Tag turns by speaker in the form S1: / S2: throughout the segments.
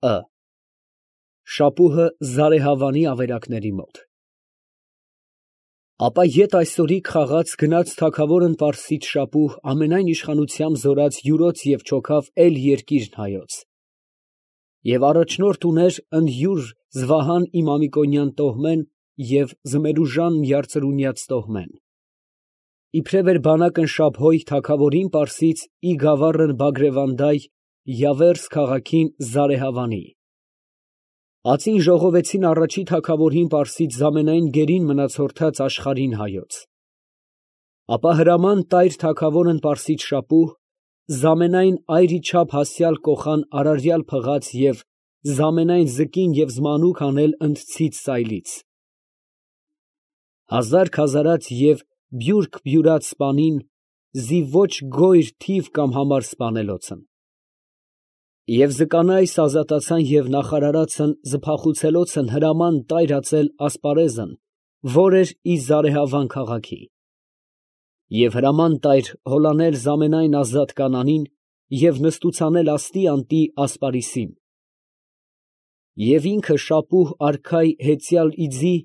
S1: Ը Շապուհը Զարեհավանի ավերակների մոտ։ Ապա ետ այսօրիկ խաղաց գնաց թագավորն Պարսից շապուհ ամենայն իշխանությամբ զորած յուրոց և չոքավ էլ երկիրն հայոց։ Եվ առաջնորդ ուներ ընդ յուր Զվահան Իմամիկոնյան տոհմեն և Զմերուժան Յարծրունյաց տոհմեն։ Իբրև էր բանակն Շաբհոյ թագավորին Պարսից ի գավառն Բագրևանդայ Յավերս քաղաքին Զարեհավանի։ Ածին ժողովեցին առաջի թագավորին Պարսից զամենայն գերին մնացորդած աշխարհին հայոց։ Ապա հրաման տայր թագավորն Պարսից շապուհ զամենայն այրիչափ հասյալ կոխան արարյալ փղած և զամենայն զկին և զմանուկ անել ընդցից սայլից։ Հազար քազարած և բյուրք բյուրած սպանին զի ոչ գոյր թիվ կամ համար սպանելոցն։ Եվ զկանայս ազատացան և նախարարացն զփախուցելոցն հրաման տայր ածել ասպարեզն, որ էր ի Զարեհավան քաղաքի։ Եվ հրաման տայր հոլանել զամենայն ազատ կանանին և նստուցանել աստի անտի ասպարիսին։ Եվ ինքը շապուհ արքայ հեծյալ իձի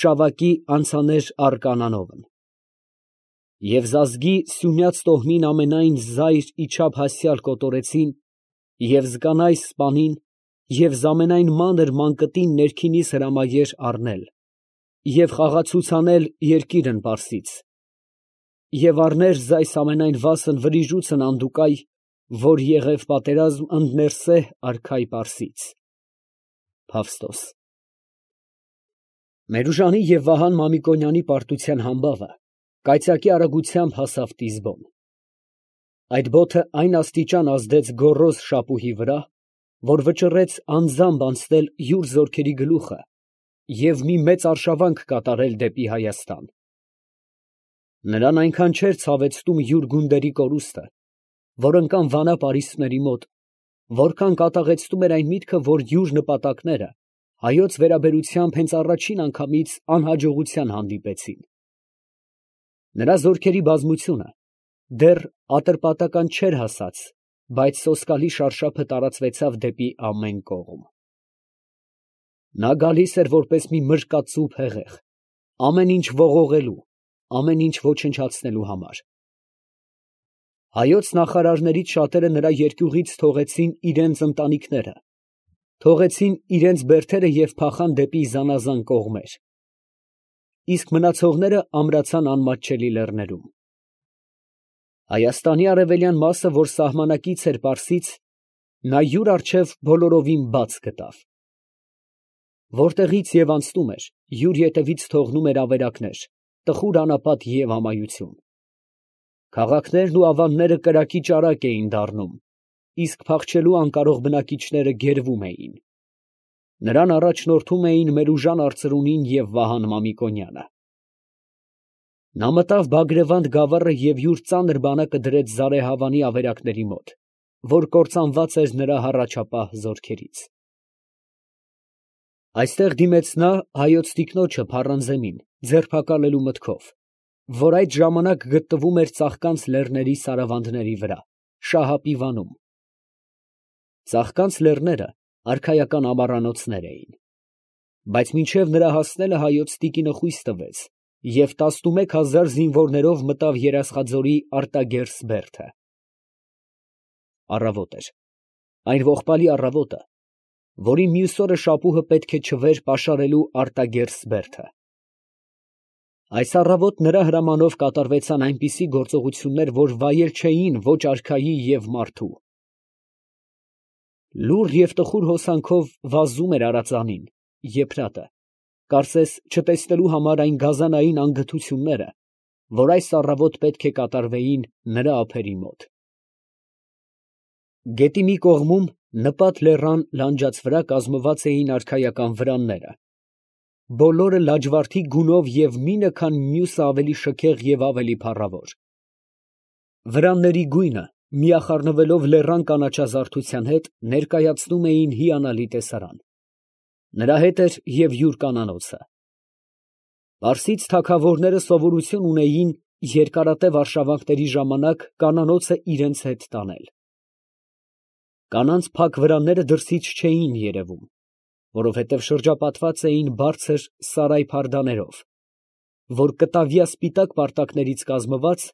S1: շավակի անցաներ արկանանովն։ Եվ զազգի սյունյաց տոհմին ամենայն զայր իչափ հասյալ կոտորեցին և զկանայս սպանին և զամենայն մանր մանկտին ներքինիս հրամայեր առնել և խաղացուցանել երկիրն Պարսից և առներ զայս ամենայն վասն վրիժուցն անդուկայ, որ եղև պատերազմ ընդ Ներսեհ արքայ Պարսից։ Փավստոս։ Մերուժանի և Վահան Մամիկոնյանի պարտության համբավը կայծակի արագությամբ հասավ Տիզբոն։ Այդ բոթը այն աստիճան ազդեց գոռոզ շապուհի վրա, որ վճռեց անձամբ անցնել յուր զորքերի գլուխը և մի մեծ արշավանք կատարել դեպի Հայաստան։ Նրան այնքան չէր ցավեցնում յուր գունդերի կորուստը, որ ընկան Վանա պարիսպների մոտ, որքան կատաղեցնում էր այն միտքը, որ յուր նպատակները հայոց վերաբերությամբ հենց առաջին անգամից անհաջողության հանդիպեցին։ Նրա զորքերի բազմությունը դեռ ատրպատական չէր հասած, բայց սոսկալի շարշափը տարածվեցավ դեպի ամեն կողմ։ Նա գալիս էր որպես մի մրկածու փեղեղ, ամեն ինչ ողողելու, ամեն ինչ ոչնչացնելու համար։ Հայոց նախարարներից շատերը նրա երկյուղից թողեցին իրենց ընտանիքները, թողեցին իրենց բերդերը և փախան դեպի զանազան կողմեր, իսկ մնացողները ամրացան անմատչելի լեռներում։ Հայաստանի արևելյան մասը, որ սահմանակից էր Պարսից, նա յուր առջև բոլորովին բաց գտավ։ Որտեղից և անցնում էր, յուր ետևից թողնում էր ավերակներ, տխուր անապատ և ամայություն։ Քաղաքներն ու ավանները կրակի ճարակ էին դառնում, իսկ փախչելու անկարող բնակիչները գերվում էին։ Նրան առաջնորդում էին Մերուժան արծրունին և Վահան Մամիկոնյանը։ Նա մտավ Բագրևանդ գավառը և յուր ծանր բանակը դրեց Զարեհավանի ավերակների մոտ, որ կործանված էր նրա հառաջապահ զորքերից։ Այստեղ դիմեց նա հայոց տիկնոջը Փառանզեմին ձերբակալելու մտքով, որ այդ ժամանակ գտնվում էր Ծաղկանց լեռների սարավանդների վրա, Շահապիվանում։ Ծաղկանց լեռները արքայական ամառանոցներ էին, բայց մինչև նրա հասնելը հայոց տիկինը խույս տվեց և 11000 զինվորներով մտավ Երասխաձորի Արտագերս բերդը։ Առավոտ էր, այն ողբալի առավոտը, որի մյուս օրը շապուհը պետք է չվեր պաշարելու Արտագերս բերդը։ Այս առավոտ նրա հրամանով կատարվեցան այնպիսի գործողություններ, որ վայել չէին ոչ արքայի և մարդու։ Լուռ և տխուր հոսանքով վազում էր արձանին, եփրատը, կարծես չտեսնելու համար այն գազանային անգթությունները, որ այս առավոտ պետք է կատարվեին նրա ափերի մոտ։ Գետի մի կողմում նպատ լեռան լանջաց վրա կազմված էին արքայական վրանները, բոլորը լաջվարդի գունով և մինը քան մյուսը ավելի շքեղ և ավելի փառավոր։ Վրանների գույնը, միախառնվելով լեռան կանաչազարդության հետ, ներկայացնում էին հիանալի տեսարան։ Նրա հետ էր և յուր կանանոցը։ Պարսից թագավորները սովորություն ունեին երկարատև արշավանքների ժամանակ կանանոցը իրենց հետ տանել։ Կանանց փակ վրանները դրսից չէին երևում, որովհետև շրջապատված էին բարձր սարայ փարդաներով, որ կտավյա սպիտակ պարտակներից կազմված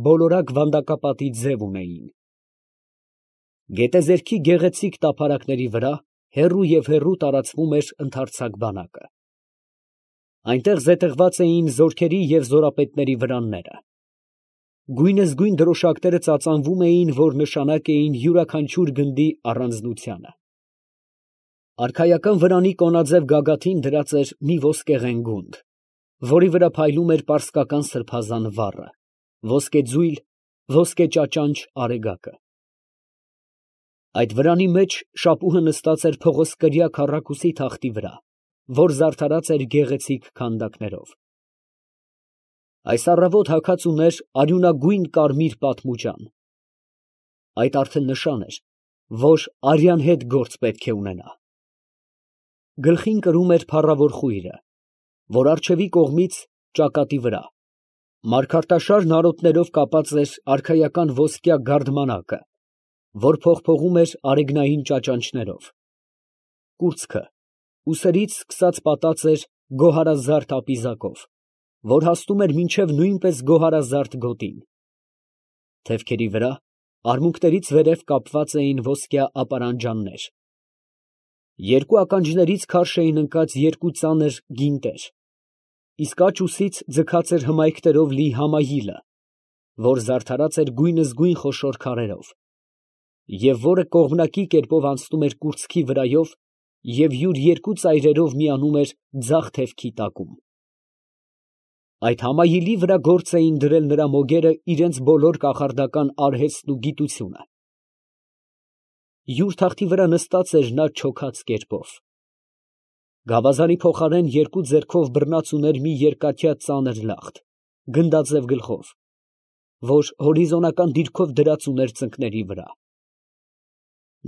S1: բոլորակ վանդակապատի ձև ունեին։ Գետեզերքի գեղեցիկ տափարակների վրա հեռու և հեռու տարածվում էր ընդարձակ բանակը։ Այնտեղ զետեղված էին զորքերի և զորապետների վրանները։ Գույնզգույն դրոշակները ծածանվում էին, որ նշանակ էին յուրաքանչյուր գնդի առանձնությանը։ Արքայական վրանի կոնաձև գագաթին դրած էր մի ոսկեղեն գունդ, որի վրա փայլում էր պարսկական սրբազան վառը, ոսկեձույլ, ոսկե ճաճանճ արեգակը։ Այդ վրանի մեջ շապուհը նստած էր փղոսկրյա քառակուսի թախտի վրա, որ զարդարած էր գեղեցիկ քանդակներով։ Այս առավոտ հագած ուներ արյունագույն կարմիր պատմուջան։ Այդ արդեն նշան էր, որ արյան հետ գործ պետք է ունենա։ Գլխին կրում էր փառավոր խույրը, որ առջևի կողմից ճակատի վրա մարգարտաշար նարոտներով կապած էր արքայական ոսկյա գարդմանակը, որ փողփողում էր արեգնային ճաճանճներով։ Կուրծքը ուսերից սկսած պատած էր գոհարազարդ ապիզակով, որ հասնում էր մինչև նույնպես գոհարազարդ գոտին։ Թևքերի վրա արմունկներից վերև կապված էին ոսկյա ապարանջաններ։ Երկու ականջներից քարշ էին ընկած երկու ծանր գինտեր, իսկ աջ ուսից ձգած էր հմայքներով լի համայիլը, որ զարդարած էր գույնզգույն խոշոր քարերով, և որը կողմնակի կերպով անցնում էր կուրծքի վրայով և յուր երկու ծայրերով միանում էր ձախ թևքի տակում։ Այդ համայիլի վրա գործ էին դրել նրա մոգերը իրենց բոլոր կախարդական արհեստն ու գիտությունը։ Յուր թախտի վրա նստած էր նա չոքած կերպով։ Գավազանի փոխարեն երկու ձեռքով բռնած ուներ մի երկաթյա ծանր լախտ, գնդաձև գլխով, որ հորիզոնական դիրքով դրած ուներ ծնկների վրա։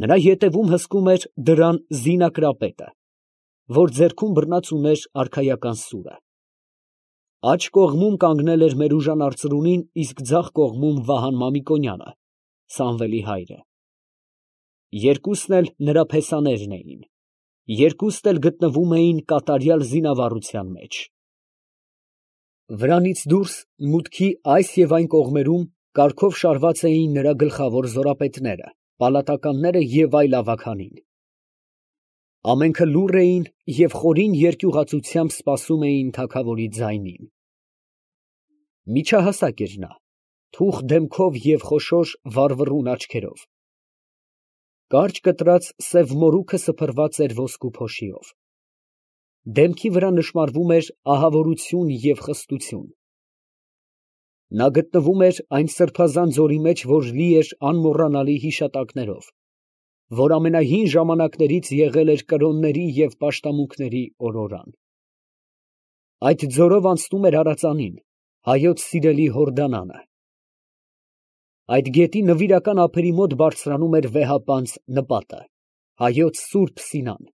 S1: Նրա ետևում հսկում էր դրան զինակրապետը, որ ձեռքում բռնած ուներ արքայական սուրը։ Աջ կողմում կանգնել էր Մերուժան արծրունին, իսկ ձախ կողմում Վահան Մամիկոնյանը, Սամվելի հայրը։ Երկուսն էլ նրա փեսաներն էին, երկուստ էլ գտնվում էին կատարյալ զինավառության մեջ։ Վրանից դուրս մուտքի այս և այն կողմերում կարգով շարված էին նրա գլխավոր զորապետները, պալատականները և այլ ավագանին։ Ամենքը լուռ էին և խորին երկյուղածությամբ սպասում էին թագավորի ձայնին։ Միջահասակ էր նա, թուխ դեմքով և խոշոր վառվռուն աչքերով։ Կարճ կտրած սև մորուքը սփռված էր ոսկու փոշիով։ Դեմքի վրա նշմարվում էր ահավորություն և խստություն։ Նա գտնվում էր այն սրբազան ձորի մեջ, որ լի էր անմոռանալի հիշատակներով, որ ամենահին ժամանակներից եղել էր կրոնների և պաշտամունքների օրորան։ Այդ ձորով անցնում էր Արածանին, հայոց սիրելի Հորդանանը։ Այդ գետի նվիրական ափերի մոտ բարձրանում էր վեհապանծ նպատը, հայոց սուրբ Սինան,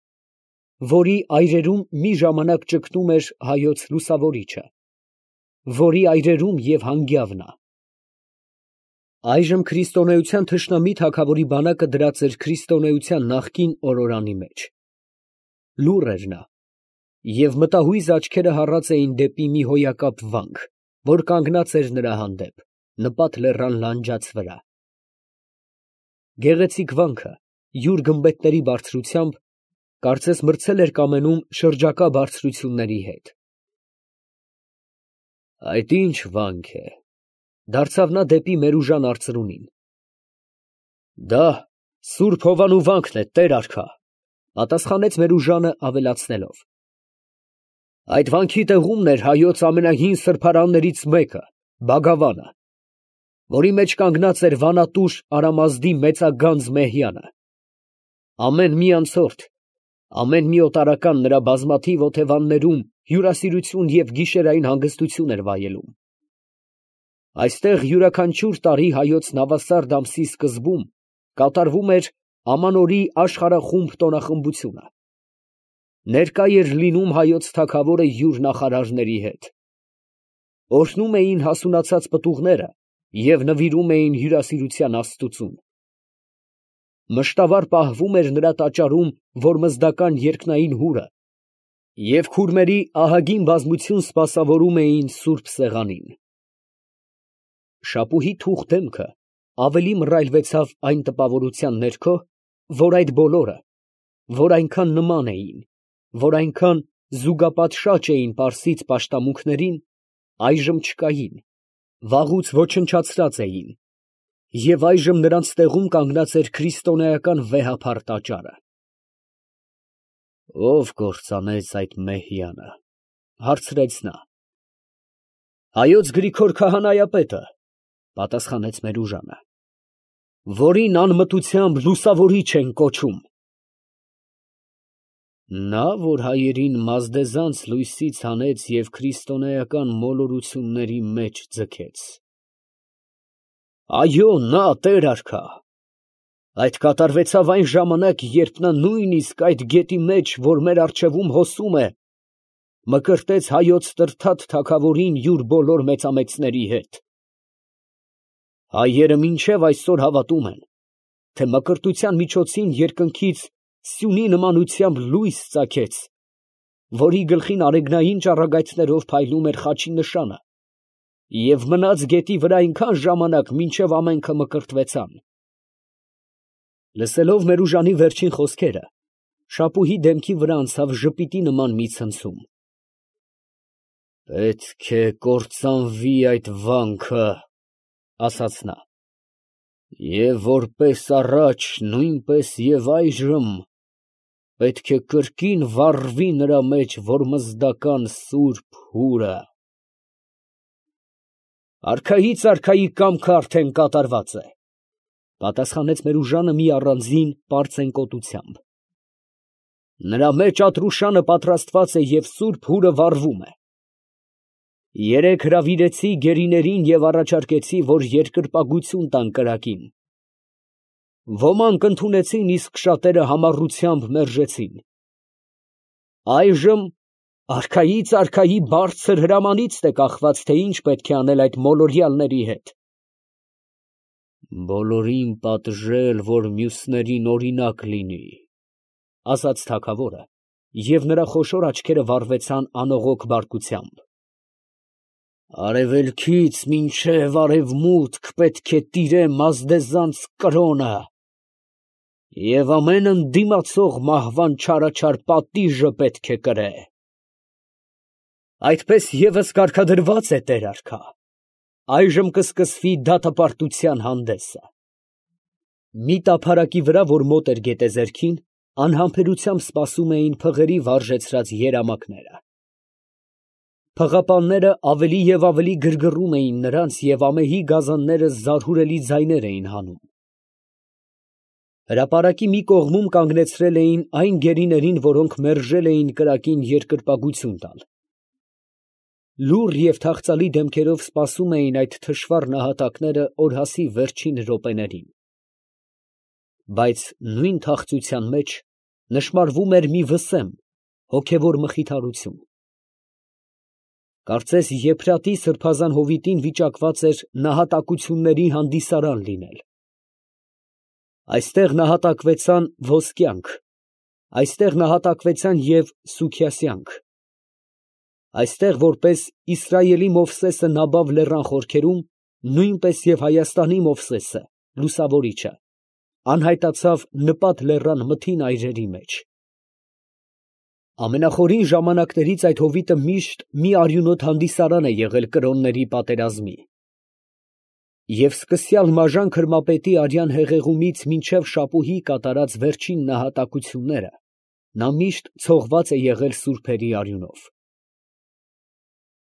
S1: որի այրերում մի ժամանակ ճգնում էր հայոց լուսավորիչը, որի այրերում և հանգյավն է։ Այժմ քրիստոնեության թշնամի թագավորի բանակը դրած էր քրիստոնեության նախկին օրորանի մեջ։ Լուռ էր նա, և մտահույզ աչքերը հառած էին դեպի մի հոյակապ վանք, որ կանգնած էր նրա հանդեպ, նպատ լեռան լանջաց վրա։ Գեղեցիկ վանքը յուր գմբեթների բարձրությամբ կարծես մրցել էր կամենում շրջակա բարձրությունների հետ։ Այդ ի՞նչ վանք է, դարձավ նա դեպի Մերուժան արծրունին։ Դա Սուրբ Հովանու վանքն է, տեր արքա, պատասխանեց Մերուժանը ավելացնելով. այդ վանքի տեղումն էր հայոց ամենահին սրբարաններից մեկը, Բագավանը, որի մեջ կանգնած էր վանատուր Արամազդի մեծագանձ Մեհյանը։ Ամեն մի անցորդ, ամեն մի օտարական նրա բազմաթիվ օթևաններում հյուրասիրություն և գիշերային հանգստություն էր վայելում։ Այստեղ յուրաքանչյուր տարի հայոց նավասարդ ամսի սկզբում կատարվում էր ամանորի աշխարհախումբ տոնախմբությունը։ Ներկա էր լինում հայոց թագավորը յուր նախարարների հետ։ Օրհնում էին հասունացած պտուղները և նվիրում էին հյուրասիրության աստուծուն։ մշտավար պահվում էր նրա տաճարում որմզդական երկնային հուրը, և քուրմերի ահագին բազմություն սպասավորում էին սուրբ սեղանին։ Շապուհի թուխ դեմքը ավելի մռայլվեցավ այն տպավորության ներքո, որ այդ բոլորը, որ այնքան նման էին, որ այնքան զուգապատշաճ էին պարսից պաշտամունքներին, այժմ չկային, վաղուց ոչնչացրած էին, և այժմ նրանց տեղում կանգնած էր քրիստոնեական վեհափառ տաճարը։ Ո՞վ կործանեց այդ մեհյանը, հարցրեց նա։ Հայոց Գրիգոր քահանայապետը, պատասխանեց Մերուժանը, որին անմտությամբ լուսավորիչ են կոչում։ Նա, որ հայերին մազդեզանց լույսից հանեց և քրիստոնեական մոլորությունների մեջ ձգեց։ Այո, նա, տեր արքա, այդ կատարվեցավ այն ժամանակ, երբ նա նույնիսկ այդ գետի մեջ, որ մեր առջևում հոսում է, մկրտեց հայոց Տրդատ թագավորին յուր բոլոր մեծամեծների հետ։ Հայերը մինչև այսօր հավատում են, թե մկրտության միջոցին երկնքից սյունի նմանությամբ լույս ծագեց, որի գլխին արեգնային ճառագայթներով փայլում էր խաչի նշանը, և մնաց գետի վրա այնքան ժամանակ, մինչև ամենքը մկրտվեցան։ Լսելով Մերուժանի վերջին խոսքերը, Շապուհի դեմքի վրա անցավ ժպիտի նման մի ցնցում։ Պետք է կործանվի այդ վանքը, ասաց նա, և որպես առաջ, նույնպես և այժմ պետք է կրկին վառվի նրա մեջ որմզդական սուրբ հուրը։ Արքայից արքայի կամքը արդեն կատարված է, պատասխանեց Մերուժանը մի առանձին պարծեն կոտությամբ։ Նրա մեջ Ատրուշանը պատրաստված է և սուրբ հուրը վառվում է։ Երեկ հրավիրեցի գերիներին և առաջարկեցի, որ երկրպագություն տան կրակին։ Ոմանք ընդունեցին, իսկ շատերը համառությամբ մերժեցին։ Այժմ արքայից արքայի բարձր հրամանիցն է կախված, թե ինչ պետք է անել այդ մոլորյալների հետ։ Բոլորին պատժել, որ մյուսներին օրինակ լինի, ասաց թագավորը, և նրա խոշոր աչքերը վառվեցան անողոք բարկությամբ։ Արևելքից մինչև արևմուտք պետք է տիրե մազդեզանց կրոնը, և ամեն ընդդիմացող մահվան չարաչար պատիժը պետք է կրե։ Այդպես ևս կարգադրված է, տեր արքա, այժմ կսկսվի դատապարտության հանդեսը։ Մի տափարակի վրա, որ մոտ էր գետեզերքին, անհամբերությամբ սպասում էին փղերի վարժեցրած երամակները։ Փղապանները ավելի և ավելի գրգռում էին նրանց, և ամեհի գազանները զարհուրելի ձայներ էին հանում։ Հրապարակի մի կողմում կանգնեցրել էին այն գերիներին, որոնք մերժել էին կրակին երկրպագություն տալ։ Լուռ և թախծալի դեմքերով սպասում էին այդ թշվառ նահատակները օրհասի վերջին րոպեներին։ Բայց նույն թախծության մեջ նշմարվում էր մի վսեմ, հոգևոր մխիթարություն։ Կարծես Եփրատի սրբազան հովիտին վիճակված էր նահատակությունների հանդիսարան լինել։ Այստեղ նահատակվեցան ոսկյանք, այստեղ նահատակվեցան և սուքիասյանք։ Այստեղ, որպես Իսրայելի Մովսեսը Նաբավ լեռան խորքերում, նույնպես և Հայաստանի Մովսեսը, լուսավորիչը, անհայտացավ Նպատ լեռան մթին այրերի մեջ։ Ամենախորին ժամանակներից այդ հովիտը միշտ մի արյունոտ հանդիսարան է եղել կրոնների պատերազմի։ Եվ սկսյալ Մաժան քրմապետի արյան հեղեղումից մինչև Շապուհի կատարած վերջին նահատակությունները, նա միշտ ցողված է եղել սուրբերի արյունով։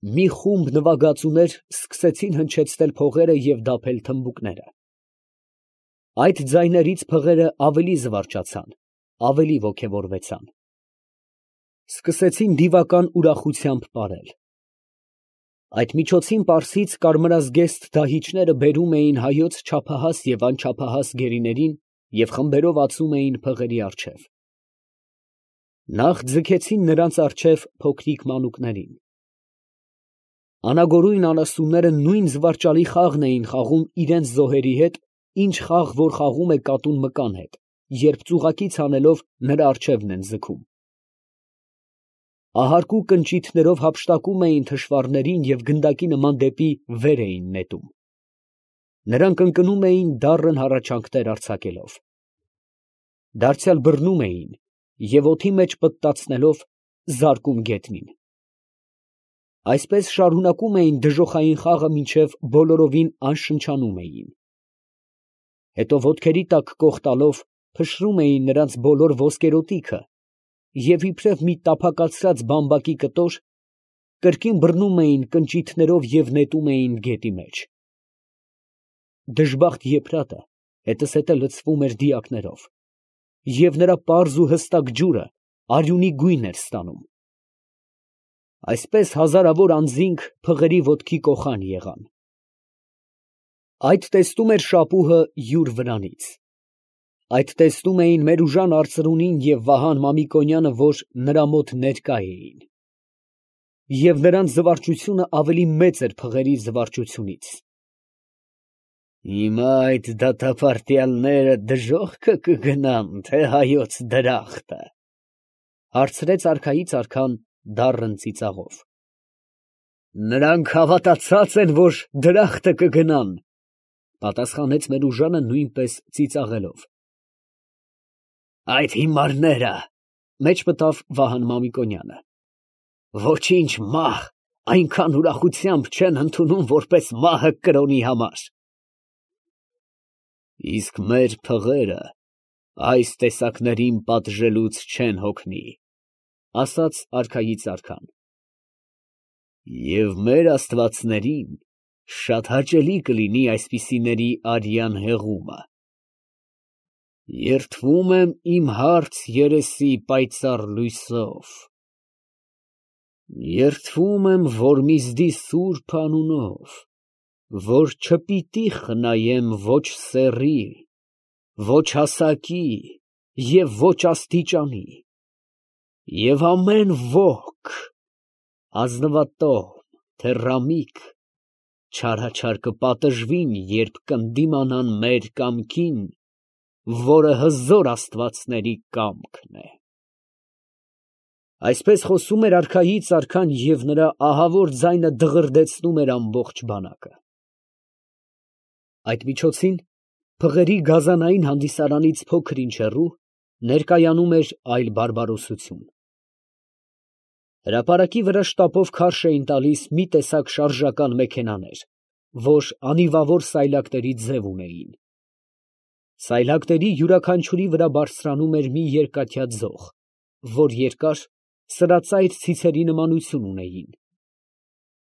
S1: Մի խումբ նվագածուներ սկսեցին հնչեցնել փողերը և դափել թմբուկները։ Այդ ձայներից փղերը ավելի զվարճացան, ավելի ոգևորվեցան։ Սկսեցին դիվական ուրախությամբ պարել։ Այդ միջոցին պարսից կարմրազգեստ դահիճները բերում էին հայոց չափահաս և անչափահաս գերիներին և խմբերով ածում էին փղերի առջև։ Նախ ձգեցին նրանց առջև փոքրիկ մանուկներին։ Անագորույն անասունները նույն զվարճալի խաղն էին խաղում իրենց զոհերի հետ, ինչ խաղ որ խաղում է կատուն մկան հետ, երբ ծուղակից անելով նրա առջևն են ձգում։ Ահարկու կնճիթներով հափշտակում էին թշվառներին և գնդակի նման դեպի վեր էին նետում։ Նրանք ընկնում էին դառն հառաչանքներ արձակելով։ Դարձյալ բռնում էին և օդի մեջ պտտացնելով զարկում գետնին։ Այսպես շարունակում էին դժոխային խաղը, մինչև բոլորովին անշնչանում էին։ Հետո ոտքերի տակ կոխտալով փշրում էին նրանց բոլոր ոսկերոտիքը և իբրև մի տափակացրած բամբակի կտոր կրկին բռնում էին կնճիթներով և նետում էին գետի մեջ։ Դժբախտ Եփրատը հետզհետե լցվում էր դիակներով, և նրա պարզ ու հստակ ջուրը արյունի գույն էր ստանում։ Այսպես հազարավոր անձինք փղերի ոտքի կոխան եղան։ Այդ տեսնում էր շապուհը յուր վրանից։ Այդ տեսնում էին Մերուժան արծրունին և Վահան Մամիկոնյանը, որ նրա մոտ ներկա էին։ Եվ նրանց զվարճությունը ավելի մեծ էր փղերի զվարճությունից։ «Հիմա այդ դատապարտյալները դժոխքը կգնան, թե հայոց դրախտը», ֊ հարցրեց արքայից արքան դառն ծիծաղով։ «Նրանք հավատացած են, որ դրախտը կգնան», ֊ պատասխանեց Մերուժանը նույնպես ծիծաղելով։ «Այդ հիմարները, ֊ մեջ մտավ Վահան Մամիկոնյանը, ֊ ոչինչ մահ այնքան ուրախությամբ չեն ընդունում, որպես մահը կրոնի համար»։ «Իսկ մեր փղերը այս տեսակներին պատժելուց չեն հոգնի, ֊ ասաց արքայից արքան, ֊ և մեր աստվածներին շատ հաճելի կլինի այսպիսիների արյան հեղումը։ Երդվում եմ իմ հարց երեսի պայծառ լույսով, երդվում եմ Որմիզդի սուրբ անունով, որ չպիտի խնայեմ ոչ սեռի, ոչ հասակի և ոչ աստիճանի, և ամեն ոք, ազնվատոհ, թեռամիկ, չարաչար կպատժվին, երբ կընդդիմանան մեր կամքին, որը հզոր աստվածների կամքն է»։ Այսպես խոսում էր արքայից արքան, և նրա ահավոր ձայնը դղրդեցնում էր ամբողջ բանակը։ Այդ միջոցին փղերի գազանային հանդիսարանից փոքր ինչ հեռու ներկայանում էր այլ բարբարոսություն։ Հրապարակի վրա շտապով քարշ էին տալիս մի տեսակ շարժական մեքենաներ, որ անիվավոր սայլակների ձև ունեին։ Սայլակների յուրաքանչյուրի վրա բարձրանում էր մի երկաթյա ձող, որ երկար, սրածայր ցիցերի նմանություն ունեին։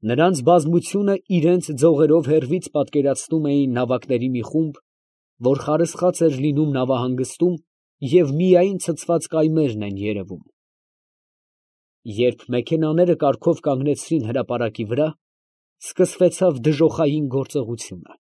S1: Նրանց բազմությունը իրենց ձողերով հեռվից պատկերացնում էին նավակների մի խումբ, որ խարսխած էր լինում նավահանգստում և միայն ցցված կայմերն են երևում։ Երբ մեքենաները կարգով կանգնեցրին հրապարակի վրա, սկսվեցավ դժոխային գործողությունը։